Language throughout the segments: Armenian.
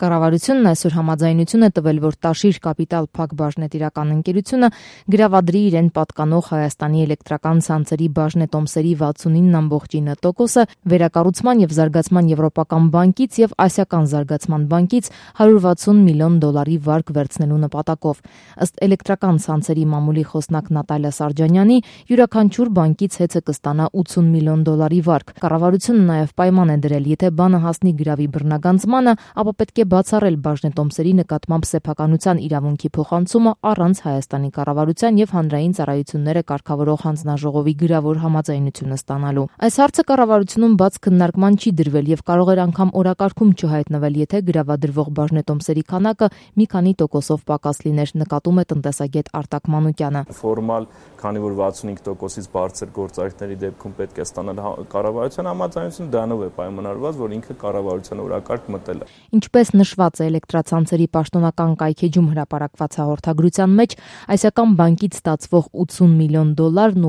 Կառավարությունն այսօր համաձայնություն է տվել, որ Տաշիր Կապիտալ Փակ բաժնետիրական ընկերությունը գրավադրի իրեն պատկանող Հայաստանի էլեկտրական ցանցերի բաժնետոմսերի 69.9%-ը վերակառուցման եւ զարգացման եվրոպական բանկից եւ ասիական զարգացման բանկից $160 միլիոն վարկ վերցնելու նպատակով։ Ըստ էլեկտրական ցանցերի մամուլի խոսնակ Նատալիա Սարջանյանի, յուրաքանչյուր բանկից հեծը կստանա $80 միլիոն վարկ։ Կառավարությունը նաեւ պայման է դրել, եթե բանը հասնի գրավի բռնագանձմանը, ապա պետք է բացառել բաժնետոմսերի նկատմամբ սեփականության իրավունքի փոխանցումը առանց Հայաստանի կառավարության եւ հանրային ծառայությունները կարգավորող հանձնաժողովի գրավոր համաձայնությունը ստանալու։ Այս հարցը կառավարությունում բաց քննարկման չի դրվել եւ կարող էր անգամ օրակարգում չհայտնվել, եթե գրավադրվող բաժնետոմսերի քանակը մի քանի տոկոսով պակաս լիներ, նկատում է տնտեսագետ Արտակ Մանուկյանը։ Ֆորմալ, քանի որ 65%-ից բարձր գործարքների դեպքում պետք է ստանալ կառավարության համաձայնություն, դրանով է պայմանավորված, որ ինքը կառավարության օրակարգ մտել է։ Ինչպես նշված է էլեկտրացանցերի պաշտոնական կայքեջում հրապարակված հաղորդագրության մեջ, ասիական բանկից ստացվող $80 միլիոն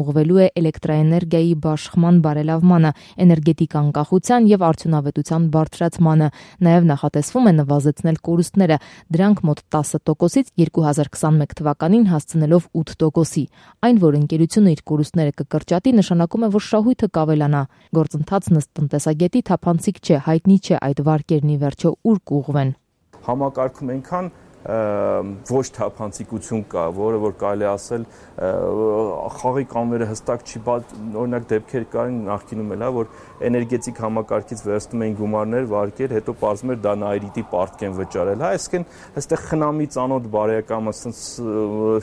ուղղվելու է էլեկտրաէներգիայի բաշխման բարելավմանը, էներգետիկ անկախության եւ արդյունավետության բարձրացմանը։ Նաեւ նախատեսվում է նվազեցնել կորուստները, դրանք մոտ 10%-ից 2021 թվականին հասցնելով 8%-ի։ Այն, որ ընկերությունը իր կորուստները կկրճատի, նշանակում է, որ շահույթը կավելանա։ Գործընթացն ըստ տնտեսագետի թափանցիկ չէ, հայտնի չէ այդ վարկերն ի վերջո ուր կուղղվեն։ Համակարգում այնքան ոչ թափանցիկություն կա, որը որ կարելի ասել խաղի կանոնները հստակ չի, օրինակ դեպքեր կային նախկինում էլ, որ էներգետիկ համակարգից վերցնում էին գումարներ, վարկեր, հետո պարզվում էր դա նայրիտի պարտք են վճարել, այսինքն այստեղ խնամի ծանոթ բարեկամ, ասենց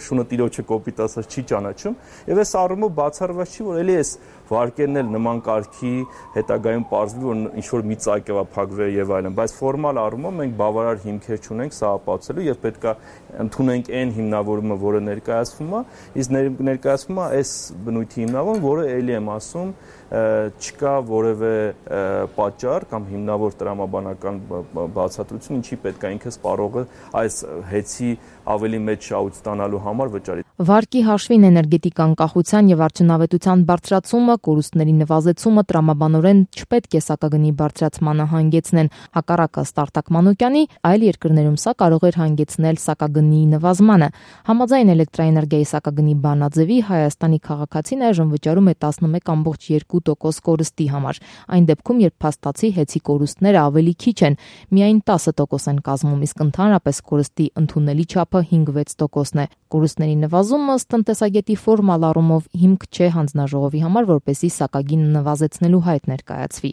շունը տիրոջը կոպիտ ասած չի ճանաչում, եւ այս առումով բացառված չի, որ էլի այս վարկերն էլ նման կարգի հետագայում պարզվի, որ ինչ-որ մի ծայր կվա փակվեր եւ այլն, բայց ֆորմալ առումով մենք բավարար հիմքեր չունենք սա ապացուցելու եւ պետք է ընդունենք այն հիմնավորումը, որը ներկայացվում է, իսկ ներկայացվում է այս բնույթի հիմնավորում, որը էլի եմ ասում, չկա որևէ պատճառ կամ հիմնավոր տրամաբանական բացատրություն, ինչի պետք է ինքը սպառողը այս հեծի ավելի մեծ շահույթ ստանալու համար վճարի։ Վարկի հաշվին էներգետիկ անկախության եւ արդյունավետության բարձրացումը, կորուստների նվազեցումը տրամաբանորեն չպետք է սակագնի բարձրացմանը հանգեցնեն։ Հակառակը Արտակ Մանուկյանի, այլ երկրներում սա կարող էր հանգեցնել սակագնի նվազմանը։ Համաձայն էլեկտրաէներգիայի սակագնի բանաձևի Հայաստանի քաղաքացին այժմ վճարում է 11.2% կորստի համար։ Այն դեպքում, երբ փաստացի հեծի կորուստները ավելի քիչ են, միայն 10% են կազմում, իսկ ընդհանրապես կորստի ընդունելի չափը 5-6% է։ Կորուստների նվազումը ըստ տնտեսագետի ֆորմալ առումով հիմք չէ հանձնաժողովի համար, որպեսզի սակագինը նվազեցնելու հայտ ներկայացվի։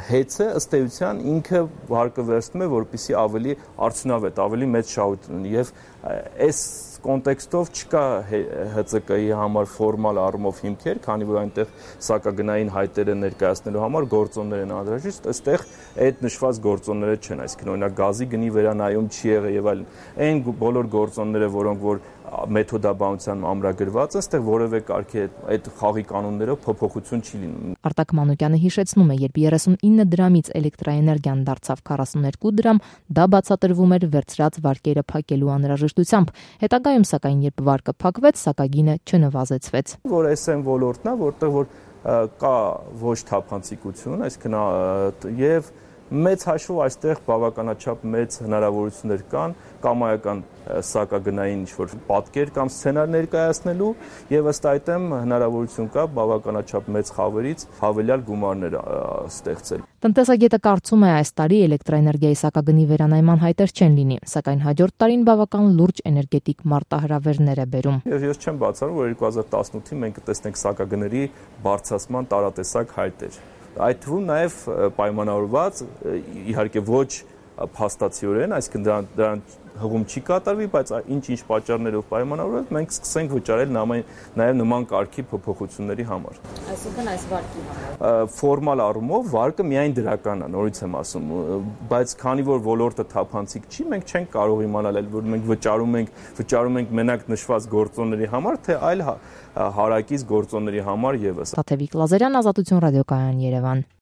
Հեծը ըստ էության ինքը վարկը վերցնում է, որպեսզի ավելի արդյունավետ, ավելի մեծ շահույթ ունի եւ այս կոնտեքստով չկա ՀՑԿ-ի համար ֆորմալ առումով հիմքեր, քանի որ այնտեղ սակագնային հայտերը ներկայացնելու համար գործոններ են անհրաժեշտ, այստեղ այդ նշված գործոնները չեն, այսինքն օրինակ գազի գնի վերանայում չի եղել եւ այլն։ Այն բոլոր գործոնները, որոնք որ մեթոդաբանության ամրագրված է, այստեղ որևէ կարգի այդ խաղի կանոններով փոփոխություն չի լինում։ Արտակ Մանուկյանը հիշեցնում է, երբ 39 դրամից էլեկտրաէներգիան դարձավ 42 դրամ, դա բացատրվում էր վերցրած վարկերը փակելու անհրաժեշտությամբ։ Հետագայում սակայն երբ վարկը փակվեց, սակագինը չնվազեցվեց։ Որ այս այն ոլորտն է, որտեղ որ կա ոչ թափանցիկություն, այսինքն եւ մեծ հաշվով այստեղ բավականաչափ մեծ հնարավորություններ կան կամայական սակագնային ինչ-որ պատկեր կամ սցենար ներկայացնելու եւ ըստ այդմ հնարավորություն կա բավականաչափ մեծ խավերից հավելյալ գումարներ ստեղծել։ Տնտեսագետը կարծում է այս տարի էլեկտրաէներգիայի սակագնի վերանայման հայտեր չեն լինի, սակայն հաջորդ տարին բավական լուրջ էներգետիկ մարտահրավերներ է բերում։ Ես չեմ բացառում, որ 2018-ին մենք կտեսնենք սակագների բարձրացման տարատեսակ հայտեր։ Այդ թվում նաև պայմանավորված, իհարկե ոչ փաստացիորեն, այսինքն դրան հղում չի կատարվի, բայց ինչ պատճառներով պայմանավորված մենք սկսենք վճարել նաև նման կարգի փոփոխությունների համար։ Այսինքն այս վարկի համար։ Ֆորմալ առումով վարկը միայն դրական է, նորից եմ ասում, բայց քանի որ ոլորտը թափանցիկ չի, մենք չենք կարող իմանալ, որ մենք վճարում ենք մենակ նշված գործոնների համար, թե այլ հարակից գործոնների համար եւս։ Տաթևիկ Լազարյան, Ազատություն ռադիոկայան, Երևան։